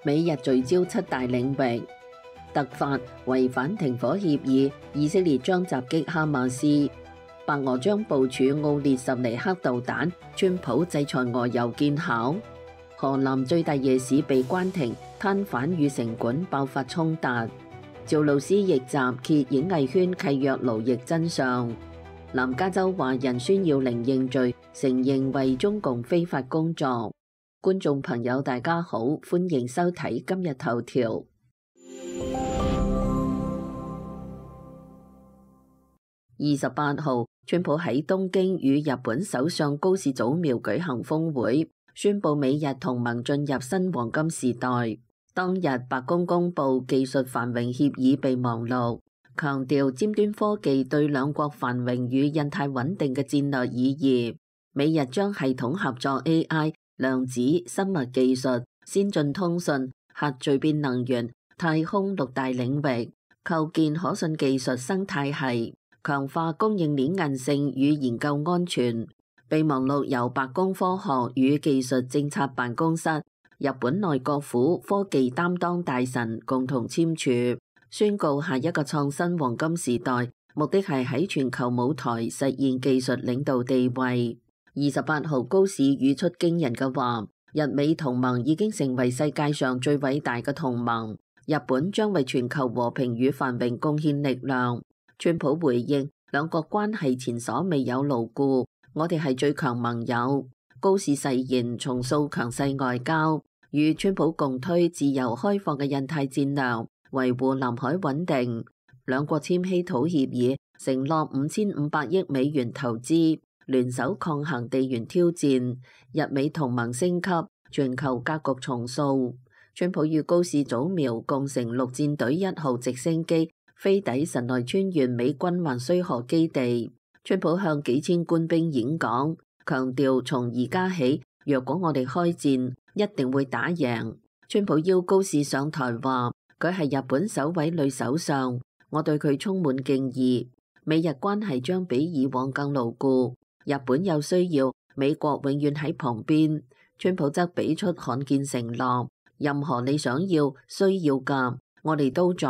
美日聚焦七大領域，突發違反停火協議，以色列將襲擊哈馬斯，白俄將部署奧列什尼克導彈，川普制裁俄油見效。河南最大夜市被關停，攤販與城管爆發衝突。趙露思逆襲揭演藝圈契約勞役真相。南加州華人孫耀玲認罪，承認為中共非法工作。觀眾朋友大家好，歡迎收睇今日頭條。28號，川普喺東京與日本首相高市早苗舉行峰會，宣布美日同盟進入新黃金時代。當日白宮公布技術繁榮協議備忘錄，強調尖端科技對兩國繁榮與印太穩定嘅戰略意義。美日將系統合作 AI、量子、生物技術、先進通訊、核聚變能源、太空6大領域，構建可信技術生態系，強化供應鏈韌性與研究安全。備忘錄由白宮科學與技術政策辦公室、日本內閣府科技擔當大臣共同簽署，宣告下一個創新黃金時代，目的係喺全球舞台實現技術領導地位。28號，高市語出驚人嘅話，日美同盟已經成為世界上最偉大嘅同盟，日本將為全球和平與繁榮貢獻力量。川普回應，兩國關係前所未有牢固，我哋係最強盟友。高市誓言重塑強勢外交，與川普共推自由開放嘅印太戰略，維護南海穩定。兩國簽希土協議，承諾5500億美元投資，聯手抗衡地緣挑戰，日美同盟升級，全球格局重塑。川普與高市早苗共乘陸戰隊1號直升機飛抵神奈川縣美軍橫須賀基地。川普向幾千官兵演講，強調從而家起，若果我哋開戰，一定會打贏。川普邀高市上台話，佢係日本首位女首相，我對佢充滿敬意。美日關係將比以往更牢固。日本有需要，美國永遠喺旁邊。川普則俾出罕見承諾，任何你想要、需要嘅，我哋都在，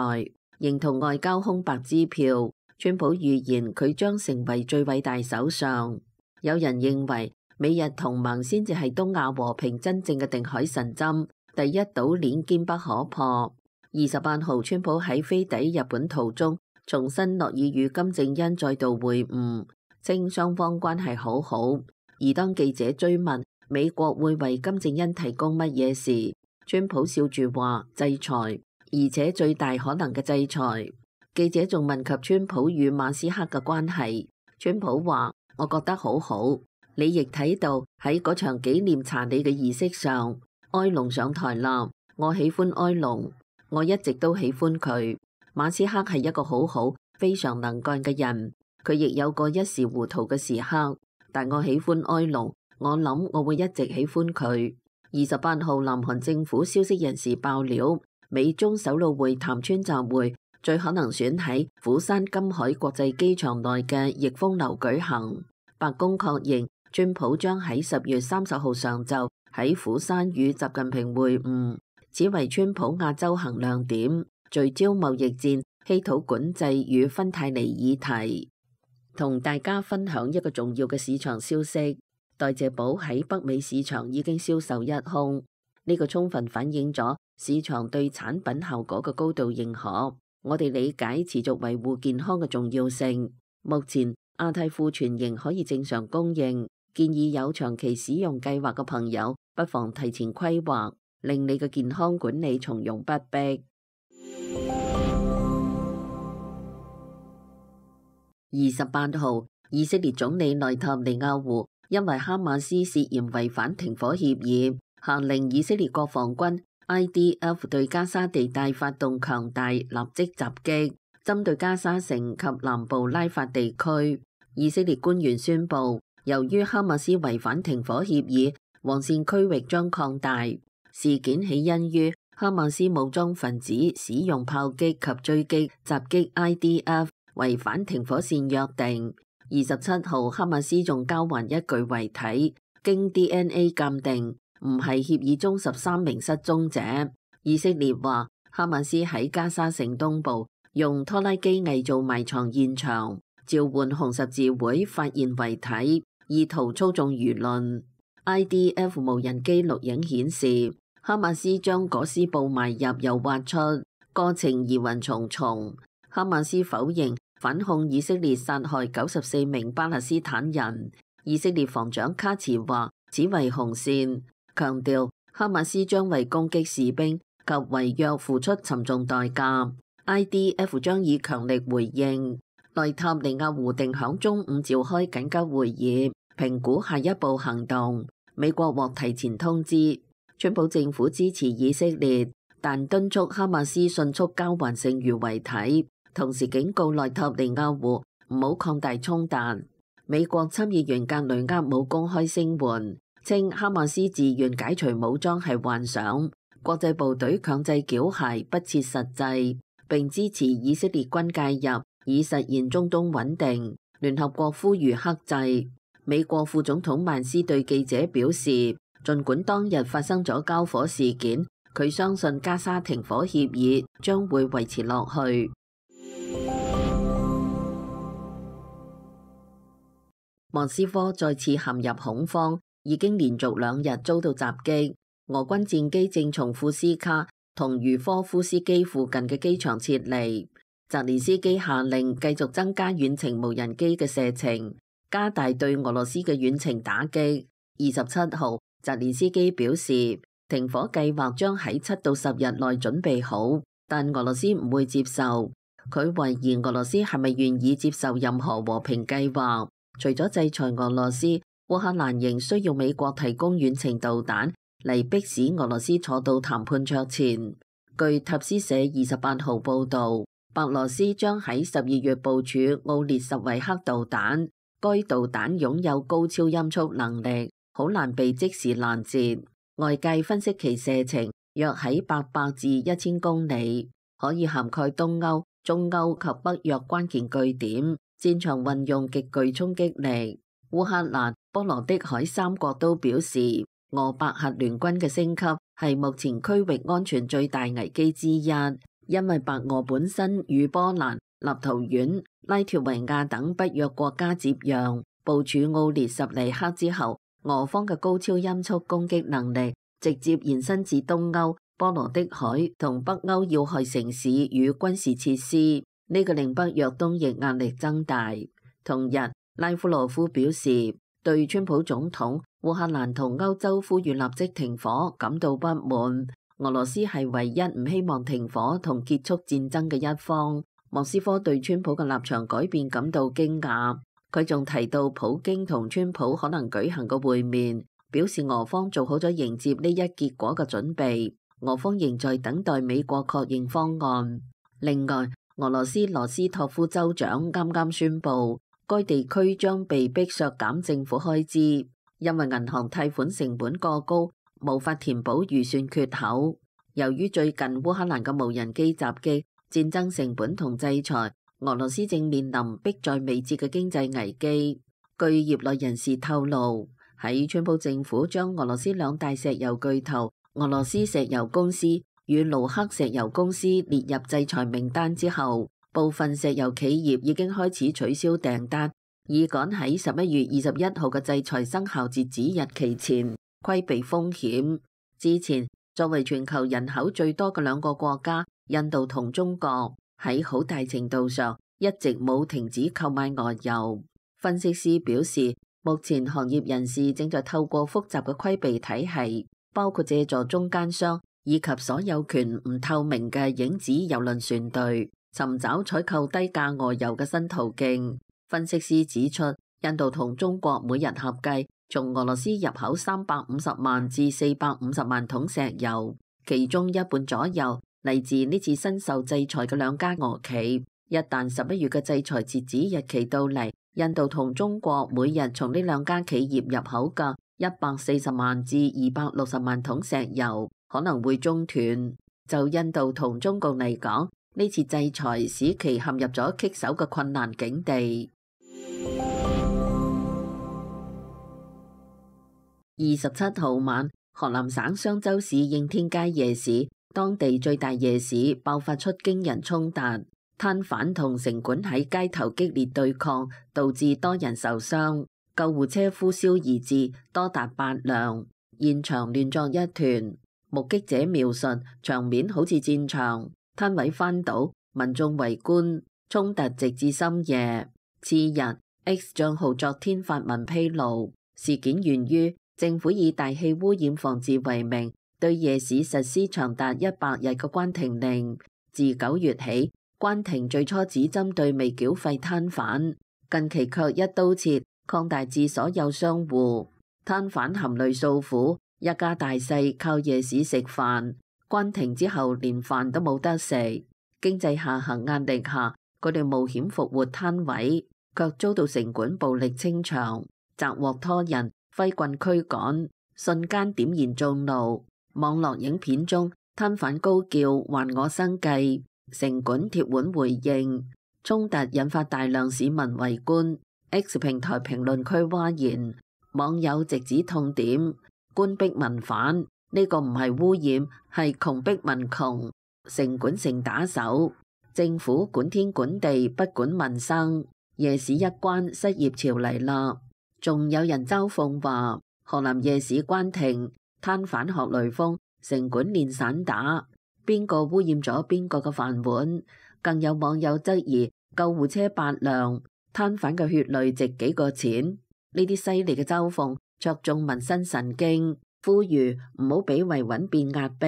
認同外交空白支票。川普預言佢將成為最偉大首相。有人認為美日同盟先至係東亞和平真正嘅定海神針，第一島鏈堅不可破。28號，川普喺飛抵日本途中，重申諾已與金正恩再度會晤，稱雙方關係好好。而當記者追問美國會為金正恩提供乜嘢時，川普笑住話制裁，而且最大可能嘅制裁。記者仲問及川普與馬斯克嘅關係，川普話：我覺得好好。你亦睇到喺嗰場紀念查理嘅儀式上，埃隆上台啦。我喜歡埃隆，我一直都喜歡佢。馬斯克係一個好好、非常能幹嘅人，佢亦有過一時糊塗嘅時刻。但我喜歡埃隆，我諗我會一直喜歡佢。28號，南韓政府消息人士爆料，美中首腦會談川習會最可能選喺釜山金海國際機場內嘅逸峰樓舉行。白宮確認，川普將喺10月30號上晝喺釜山與習近平會晤，此為川普亞洲行亮點，聚焦貿易戰、稀土管制與芬太尼議題。同大家分享一個重要嘅市場消息，代謝寶喺北美市場已經銷售一空，呢個充分反映咗市場對產品效果嘅高度認可。我哋理解持續維護健康嘅重要性。目前亞太庫存仍可以正常供應，建議有長期使用計劃嘅朋友不妨提前規劃，令你嘅健康管理從容不迫。28號，以色列總理內塔尼亞胡因為哈馬斯涉嫌違反停火協議，下令以色列國防軍 IDF 對加沙地帶發動強大立即襲擊，針對加沙城及南部拉法地區。以色列官員宣布，由於哈馬斯違反停火協議，黃線區域將擴大。事件起因於哈馬斯武裝分子使用炮擊及狙擊襲擊 IDF， 違反停火線約定。27號，哈馬斯仲交還一具遺體，經 DNA 鑑定，唔係協議中13名失蹤者。以色列話，哈馬斯喺加沙城東部用拖拉機偽造埋藏現場，召喚紅十字會發現遺體，意圖操縱輿論。IDF 無人機錄影顯示，哈馬斯將裹屍布埋入又挖出，過程疑雲重重。哈馬斯否認反控以色列殺害94名巴勒斯坦人。以色列防長卡茨話，此為紅線，強調哈馬斯將為攻擊士兵及違約付出沉重代價。IDF 將以強力回應。內塔尼亞胡定響中午召開緊急會議，評估下一步行動。美國獲提前通知，川普政府支持以色列，但敦促哈馬斯迅速交還剩餘遺體，同時警告內塔尼亞胡唔好擴大衝突。美國參議員格雷厄姆公開聲援，稱哈馬斯自願解除武裝係幻想，國際部隊強制繳械不切實際，並支持以色列軍介入，以實現中東穩定。聯合國呼籲克制。美國副總統曼斯對記者表示，儘管當日發生咗交火事件，佢相信加沙停火協議將會維持落去。莫斯科再次陷入恐慌，已經連續2日遭到襲擊。俄軍戰機正從庫斯卡同茹科夫斯基附近嘅機場撤離。澤連斯基下令繼續增加遠程無人機嘅射程，加大對俄羅斯嘅遠程打擊。27號，澤連斯基表示，停火計劃將喺7到10日內準備好，但俄羅斯唔會接受。佢懷疑俄羅斯係咪願意接受任何和平計劃。除咗制裁俄羅斯，烏克蘭仍需要美國提供遠程導彈嚟迫使俄羅斯坐到談判桌前。據塔斯社28號報導，白羅斯將喺12月部署奧列什維克導彈，該導彈擁有高超音速能力，好難被即時攔截。外界分析其射程約喺800至1000公里，可以涵蓋東歐、中歐及北約關鍵據點。戰場運用極具衝擊力。烏克蘭、波羅的海3國都表示，俄白核聯軍嘅升級係目前區域安全最大危機之一，因為白俄本身與波蘭、立陶宛、拉脱維亞等北約國家接壤，部署奧列什尼克之後，俄方嘅高超音速攻擊能力直接延伸至東歐、波羅的海同北歐要害城市與軍事設施。呢個令北約東翼壓力增大。同日，拉夫羅夫表示對川普總統、烏克蘭同歐洲呼籲立即停火感到不滿。俄羅斯係唯一唔希望停火同結束戰爭嘅一方。莫斯科對川普嘅立場改變感到驚訝。佢仲提到普京同川普可能舉行個會面，表示俄方做好咗迎接呢一結果嘅準備。俄方仍在等待美國確認方案。另外，俄羅斯羅斯托夫州長啱啱宣布，該地區將被迫削減政府開支，因為銀行貸款成本過高，無法填補預算缺口。由於最近烏克蘭嘅無人機襲擊、戰爭成本同制裁，俄羅斯正面臨迫在眉睫嘅經濟危機。據業內人士透露，喺川普政府將俄羅斯2大石油巨頭俄羅斯石油公司與盧克石油公司列入制裁名單之後，部分石油企業已經開始取消訂單，以趕喺11月21號嘅制裁生效截止日期前規避風險。之前，作為全球人口最多嘅2個國家，印度同中國，喺好大程度上一直冇停止購買俄油。分析師表示，目前行業人士正在透過複雜嘅規避體系，包括借助中間商以及所有權唔透明嘅影子郵輪船隊，尋找採購低價俄油嘅新途徑。分析師指出，印度同中國每日合計從俄羅斯入口350萬至450萬桶石油，其中一半左右嚟自呢次新受制裁嘅2家俄企。一旦11月嘅制裁截止日期到嚟，印度同中國每日從呢2家企業入口嘅140萬至260萬桶石油可能會中斷。就印度同中共嚟講，呢次制裁使其陷入咗棘手嘅困難境地。27號晚，河南省商州市應天街夜市當地最大夜市爆發出驚人衝突，攤販同城管喺街頭激烈對抗，導致多人受傷，救護車呼嘯而至，多達8輛，現場亂作一團。目擊者描述場面好似戰場，攤位翻倒，民眾圍觀，衝突直至深夜。次日 X 賬號昨天發文披露，事件源於政府以大氣污染防治為名，對夜市實施長達100日嘅關停令。自9月起，關停最初只針對未繳費攤販，近期卻一刀切，擴大至所有商戶。攤販含淚訴苦，一家大細靠夜市食飯，關停之後連飯都冇得食。經濟下行壓力下，佢哋冒險復活攤位，卻遭到城管暴力清場，責獲拖人，揮棍驅趕，瞬間點燃眾怒。網絡影片中，攤販高叫還我生計，城管鐵腕回應，衝突引發大量市民圍觀。X 平台評論區譁然，網友直指痛點，官逼民反，呢個唔係污染，係窮逼民窮，城管成打手，政府管天管地不管民生，夜市一關失業潮嚟啦。仲有人嘲諷話，河南夜市關停，攤販學雷鋒，城管練散打，邊個污染咗邊個嘅飯碗？更有網友質疑救護車8輛，攤販嘅血淚值幾個錢？呢啲犀利嘅嘲諷戳中民生神經，呼籲唔好俾維穩變壓迫。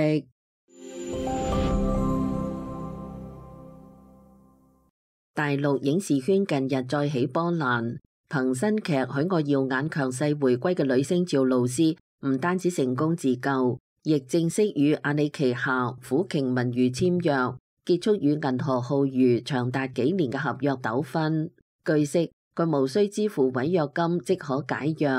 大陸影視圈近日再起波瀾，憑新劇《許我耀眼》強勢回歸嘅女星趙露思，唔單止成功自救，亦正式與阿里旗下虎鯨文娛簽約，結束與銀河浩娛長達幾年嘅合約糾紛。據悉，佢無需支付違約金即可解約。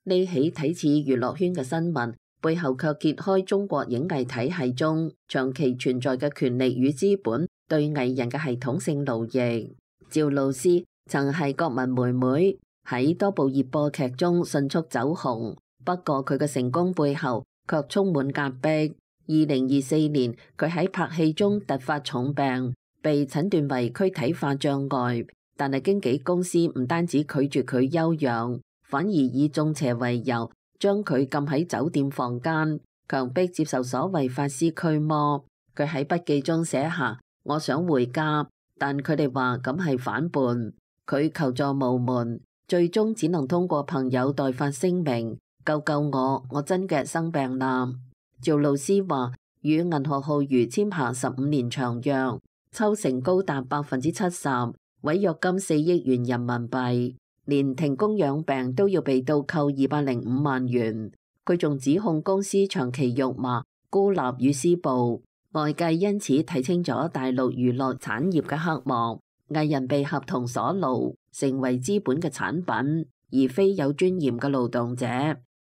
呢起睇似娛樂圈嘅新聞，背後卻揭開中國影藝體系中長期存在嘅權力與資本對藝人嘅系統性奴役。趙露思曾係國民妹妹，喺多部熱播劇中迅速走紅，不過佢嘅成功背後卻充滿壓迫。2024年，佢喺拍戲中突發重病，被診斷為軀體化障礙，但係經紀公司唔單止拒絕佢休養，反而以中邪為由，將佢禁喺酒店房間，強迫接受所謂法師驅魔。佢喺筆記中寫下：我想回家，但佢哋話咁係反叛。佢求助無門，最終只能通過朋友代發聲明：救救我真嘅生病啦。趙露思話：與銀河浩娛簽下15年長約，抽成高達70%，違約金4億元人民幣，連停工養病都要被倒扣205萬元。佢仲指控公司長期辱罵、孤立與施暴，外界因此睇清咗大陸娛樂產業嘅黑幕，藝人被合同所奴，成為資本嘅產品，而非有尊嚴嘅勞動者。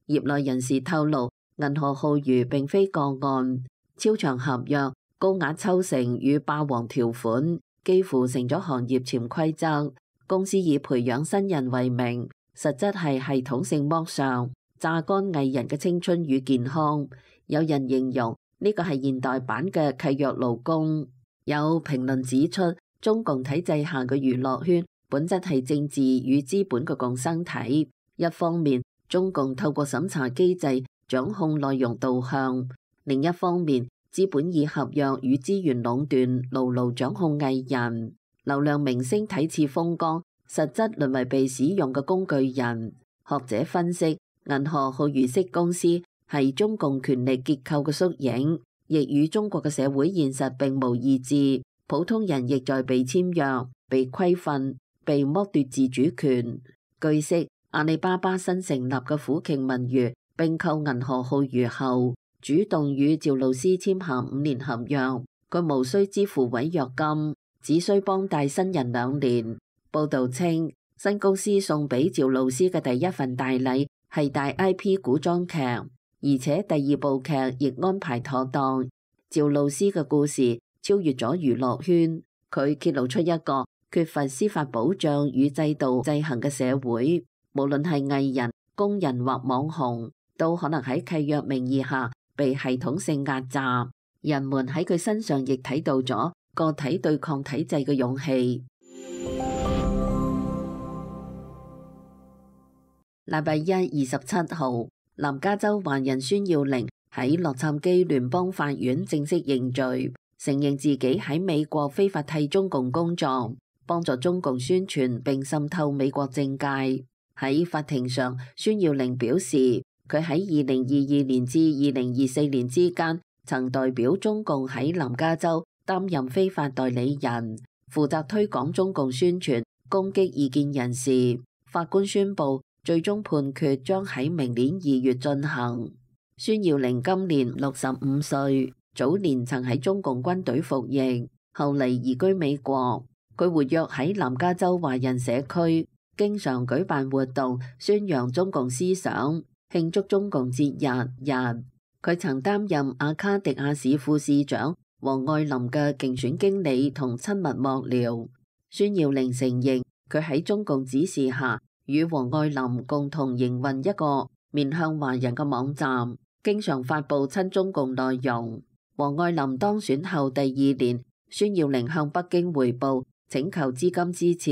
業內人士透露，銀河浩娛並非個案，超長合約、高額抽成與霸王條款，幾乎成咗行業潛規則。公司以培養新人為名，實質係系統性剝削，榨乾藝人嘅青春與健康。有人形容呢個係現代版嘅契約勞工。有評論指出，中共體制下嘅娛樂圈本質係政治與資本嘅共生體。一方面，中共透過審查機制掌控內容導向；另一方面，資本以合約與資源壟斷，牢牢掌控藝人。流量明星睇似風光，實質淪為被使用嘅工具人。學者分析，銀河浩娛式公司係中共權力結構嘅縮影，亦與中國嘅社會現實並無異致。普通人亦在被簽約、被規訓、被剝奪自主權。據悉，阿里巴巴新成立嘅虎鯨文娛併購銀河浩娛後，主動與趙露思簽下5年合約，佢無需支付違約金，只需幫帶新人2年。報道稱，新公司送俾趙露思嘅第一份大禮係大 IP 古裝劇，而且第2部劇亦安排妥當。趙露思嘅故事超越咗娛樂圈，佢揭露出一個缺乏司法保障與制度制衡嘅社會，無論係藝人、工人或網紅，都可能喺契約名義下被系統性壓榨。人們喺佢身上亦睇到咗個體對抗體制嘅勇氣。禮拜一27號，南加州華人孫耀玲喺洛杉磯聯邦法院正式認罪，承認自己喺美國非法替中共工作，幫助中共宣傳並滲透美國政界。喺法庭上，孫耀玲表示，佢喺2022年至2024年之間，曾代表中共喺南加州擔任非法代理人，負責推廣中共宣傳，攻擊異見人士。法官宣布，最終判決將喺明年2月進行。孫耀玲今年65歲，早年曾喺中共軍隊服役，後嚟移居美國。佢活躍喺南加州華人社區，經常舉辦活動，宣揚中共思想，慶祝中共節日。佢曾擔任阿卡迪亞市副市長王愛林嘅競選經理同親密幕僚。孫耀玲承認，佢喺中共指示下，與王愛林共同營運一個面向華人嘅網站，經常發布親中共內容。王愛林當選後第2年，孫耀玲向北京匯報，請求資金支持，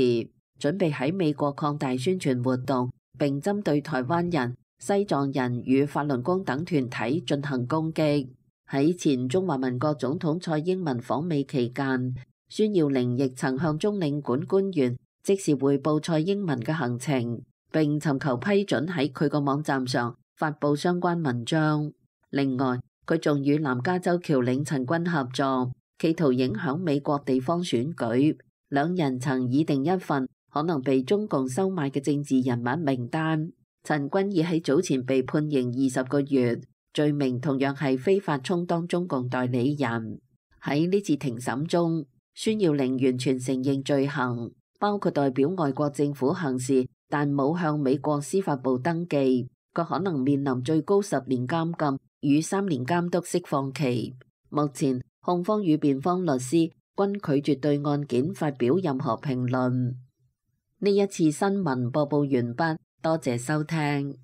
準備喺美國擴大宣傳活動，並針對台灣人、西藏人與法輪功等團體進行攻擊。喺前中華民國總統蔡英文訪美期間，孫耀玲亦曾向中領館官員即時匯報蔡英文嘅行程，並尋求批准喺佢個網站上發布相關文章。另外，佢仲與南加州僑領陳君合作，企圖影響美國地方選舉。兩人曾擬定一份可能被中共收買嘅政治人物名單。陳君已喺早前被判刑20個月，罪名同樣係非法充當中共代理人。喺呢次庭審中，孫耀玲完全承認罪行，包括代表外國政府行事，但冇向美國司法部登記。佢可能面臨最高10年監禁與3年監督釋放期。目前，控方與辯方律師均拒絕對案件發表任何評論。呢一次新聞播報完畢，多謝收聽。